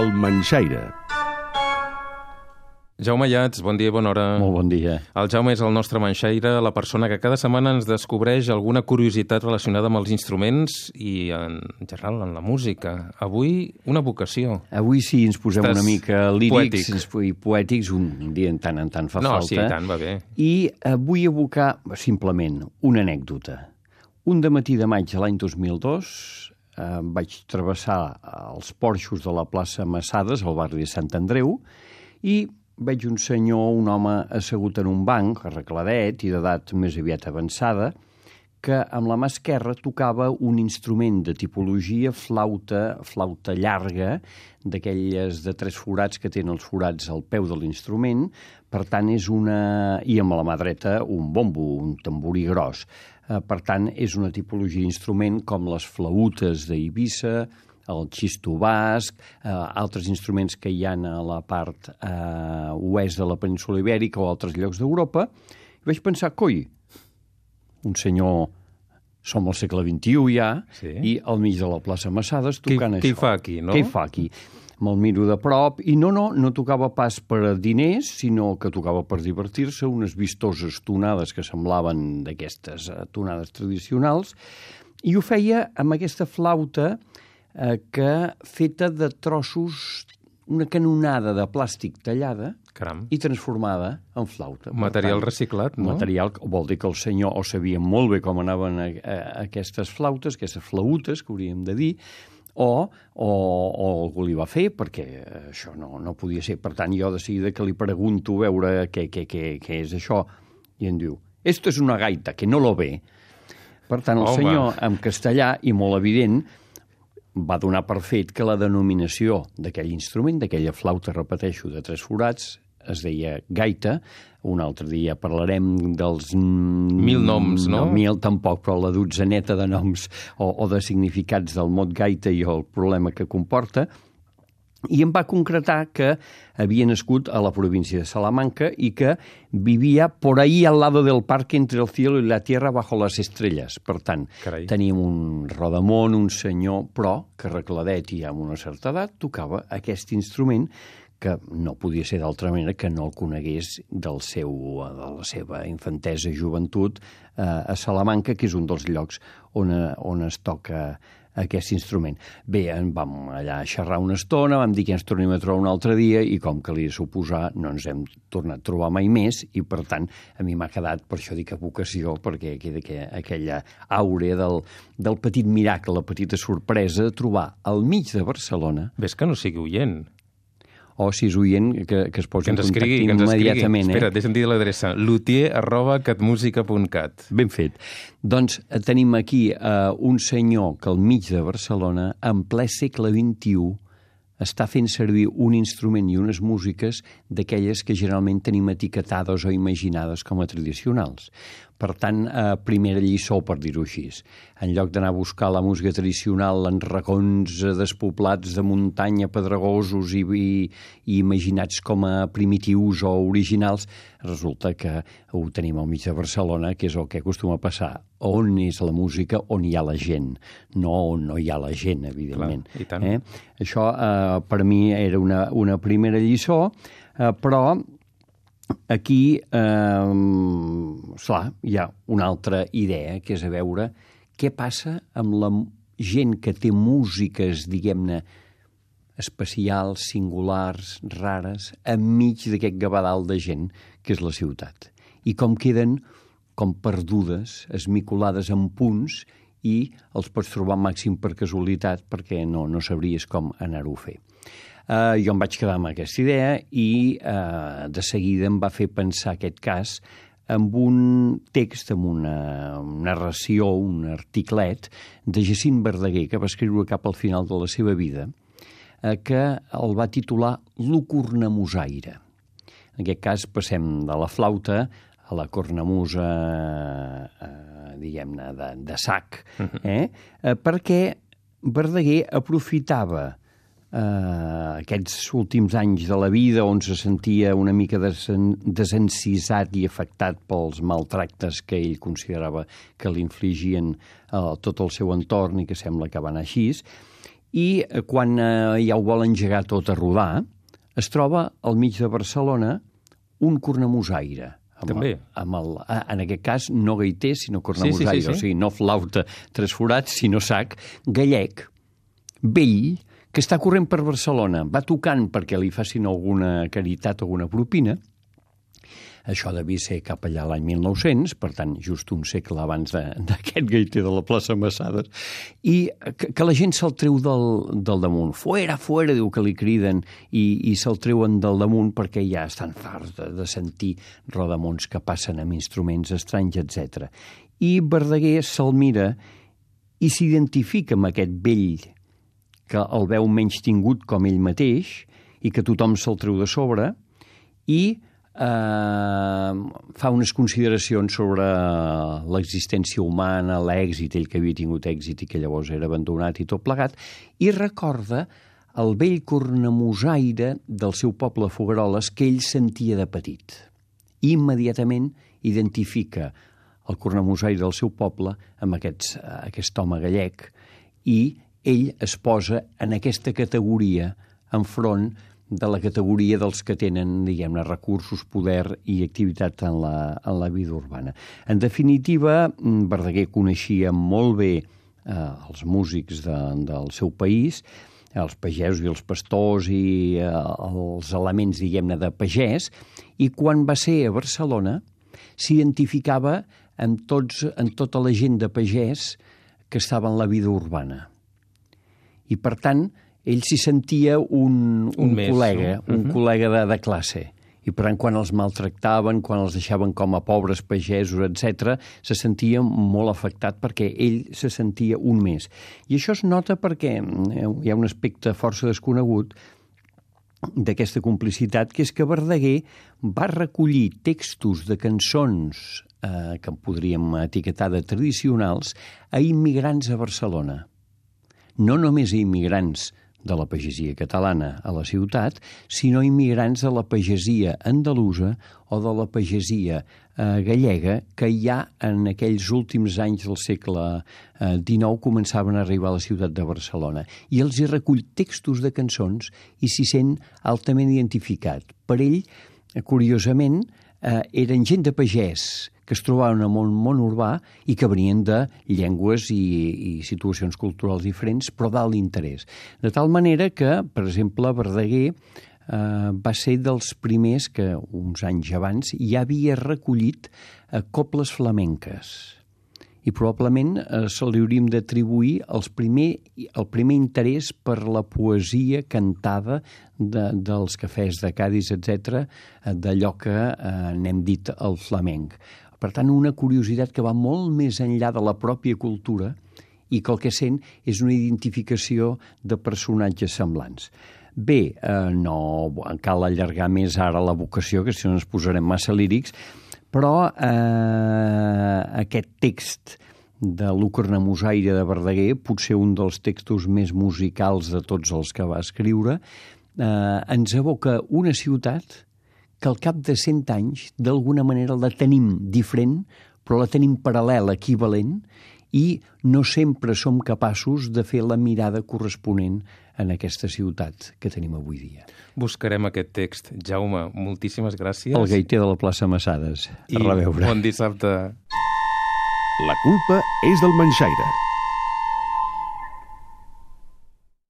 El Manxaire. Jaume Ayats, bon dia i bona hora. Molt bon dia. El Jaume és el nostre manxaire, la persona que cada setmana ens descobreix alguna curiositat relacionada amb els instruments i, en general, en la música. Avui, una vocació. Avui sí, ens posem una mica lírics poètic. i poètics, un dia en tant fa falta. No, sí, tant, va bé. I vull evocar, simplement, una anècdota. Un dematí de maig de l'any 2002 vaig travessar els porxos de la plaça Massades, al barri de Sant Andreu, i veig un senyor, un home assegut en un banc, arregladet i d'edat més aviat avançada, que amb la mà esquerra tocava un instrument de tipologia flauta llarga, d'aquelles de 3 forats que tenen els forats al peu de l'instrument, per tant és i amb la mà dreta un bombo, un tamborí gros. Per tant, és una tipologia d'instrument com les flautes d'Eivissa, el xisto basc, altres instruments que hi ha a la part oest de la península Ibèrica o altres llocs d'Europa, i vaig pensar, coi, un senyor, som al segle XXI ja, sí, i al mig de la plaça Massades tocant això. Què hi fa aquí, no? Què hi fa aquí? Me'l miro de prop, i no tocava pas per diners, sinó que tocava per divertir-se, unes vistoses tonades que semblaven d'aquestes tonades tradicionals, i ho feia amb aquesta flauta que feta de trossos, una canonada de plàstic tallada. Caram. I transformada en flauta. Material reciclat, no? Material, vol dir que el senyor o sabia molt bé com anaven aquestes flautes, aquestes flautes, que hauríem de dir, o algú li va fer, perquè això no podia ser. Per tant, jo de seguida que li pregunto a veure què és això, i em diu, esto es una gaita, que no lo ve. Per tant, el senyor, en castellà, i molt evident, va donar per fet que la denominació d'aquell instrument, d'aquella flauta, repeteixo, de 3 forats, es deia gaita. Un altre dia parlarem dels... 1000 noms, no? No, 1000 tampoc, però la dotzaneta de noms o de significats del mot gaita i el problema que comporta. I em va concretar que havia nascut a la província de Salamanca i que vivia por ahí al lado del parque entre el cielo y la tierra bajo las estrellas. Per tant, Carai. Teníem un rodamón, un senyor, però que arregladet i amb una certa edat tocava aquest instrument que no podia ser d'altra manera que no el conegués de la seva infantesa i joventut a Salamanca, que és un dels llocs on es toca aquest instrument. Bé, vam allà xerrar una estona, vam dir que ens tornem a trobar un altre dia i com que li he suposar no ens hem tornat a trobar mai més i per tant a mi m'ha quedat, per això dic vocació, perquè queda aquella àurea del petit miracle, la petita sorpresa de trobar al mig de Barcelona... Ves que no sigui oient. O si és oient, que es posi en contacte immediatament. Espera, deixa'm dir l'adreça. luthier@catmusica.cat. Ben fet. Doncs tenim aquí un senyor que al mig de Barcelona, en ple segle XXI, està fent servir un instrument i unes músiques d'aquelles que generalment tenim etiquetades o imaginades com a tradicionals. Per tant, primera lliçó, per dir-ho així. En lloc d'anar a buscar la música tradicional en racons despoblats de muntanya, pedregosos i imaginats com a primitius o originals, resulta que ho tenim al mig de Barcelona, que és el que acostuma a passar. On és la música? On hi ha la gent. No on no hi ha la gent, evidentment. Clar, i tant. Això, per mi, era una primera lliçó, però... Aquí, clar, hi ha una altra idea, que és a veure què passa amb la gent que té músiques, diguem-ne, especials, singulars, rares, enmig d'aquest gavadal de gent que és la ciutat. I com queden com perdudes, esmicolades en punts, i els pots trobar màxim per casualitat perquè no sabries com anar-ho a fer. Jo em vaig quedar amb aquesta idea i de seguida em va fer pensar aquest cas amb un text, amb una narració, un articlet de Jacint Verdaguer, que va escriure cap al final de la seva vida, que el va titular Lo cornamusaire. En aquest cas passem de la flauta a la cornamusa, diguem-ne, de sac, perquè Verdaguer aprofitava aquests últims anys de la vida on se sentia una mica desencisat i afectat pels maltractes que ell considerava que li infligien tot el seu entorn i que sembla que va anar així, i quan ja ho vol engegar tot a rodar, es troba al mig de Barcelona un cornamusaire. També. En aquest cas, no gaiter, sinó cornamusaire, sí. O sigui, no flauta trasforat, sinó sac, gallec, vell, que està corrent per Barcelona, va tocant perquè li facin alguna caritat, alguna propina. Això devia ser cap allà l'any 1900, per tant, just un segle abans d'aquest gaiter de la plaça Massades, i que la gent se'l treu del damunt. Fuera, fuera, diu que li criden, i se'l treuen del damunt perquè ja estan farts de sentir rodamons que passen amb instruments estranys, etc. I Verdaguer se'l mira i s'identifica amb aquest vell que el veu menys tingut com ell mateix i que tothom se'l treu de sobre, i fa unes consideracions sobre l'existència humana, l'èxit, ell que havia tingut èxit i que llavors era abandonat i tot plegat, i recorda el vell cornamusaire del seu poble Fogueroles que ell sentia de petit. I immediatament identifica el cornamusaire del seu poble amb aquest home gallec, i ell es posa en aquesta categoria enfront de la categoria dels que tenen, diguem-ne, recursos, poder i activitat en la vida urbana. En definitiva, Verdaguer coneixia molt bé els músics del seu país, els pagesos i els pastors i els elements, diguem-ne, de pagès, i quan va ser a Barcelona s'identificava amb tota la gent de pagès que estava en la vida urbana. I, per tant, ell s'hi sentia un col·lega, no? Un col·lega de classe. I per tant, quan els maltractaven, quan els deixaven com a pobres pagesos, etc., se sentia molt afectat perquè ell se sentia un més. I això es nota perquè hi ha un aspecte força desconegut d'aquesta complicitat, que és que Verdaguer va recollir textos de cançons que podríem etiquetar de tradicionals a immigrants a Barcelona. No només a immigrants de la pagesia catalana a la ciutat, sinó immigrants de la pagesia andalusa o de la pagesia gallega, que ja en aquells últims anys del segle XIX començaven a arribar a la ciutat de Barcelona. I els hi recull textos de cançons i s'hi sent altament identificat. Per ell, curiosament, eren gent de pagès que es trobaven en el món urbà i que venien de llengües i situacions culturals diferents, però d'alt interès. De tal manera que, per exemple, Verdaguer va ser dels primers que, uns anys abans, ja havia recollit cobles flamenques. I probablement se li hauríem d'atribuir el primer interès per la poesia cantada dels cafès de Cadis, etc., d'allò que n'hem dit el flamenc. Per tant, una curiositat que va molt més enllà de la pròpia cultura i que el que sent és una identificació de personatges semblants. Bé, no cal allargar més ara la vocació, que si no ens posarem massa lírics, però aquest text de l'U cornamusaire de Verdaguer, potser un dels textos més musicals de tots els que va escriure, ens evoca una ciutat que al cap de 100 anys, d'alguna manera la tenim diferent, però la tenim paral·lela, equivalent, i no sempre som capaços de fer la mirada corresponent en aquesta ciutat que tenim avui dia. Buscarem aquest text. Jaume, moltíssimes gràcies. El gaiter de la plaça Massades. A reveure. Bon dissabte. La culpa és del manxaire.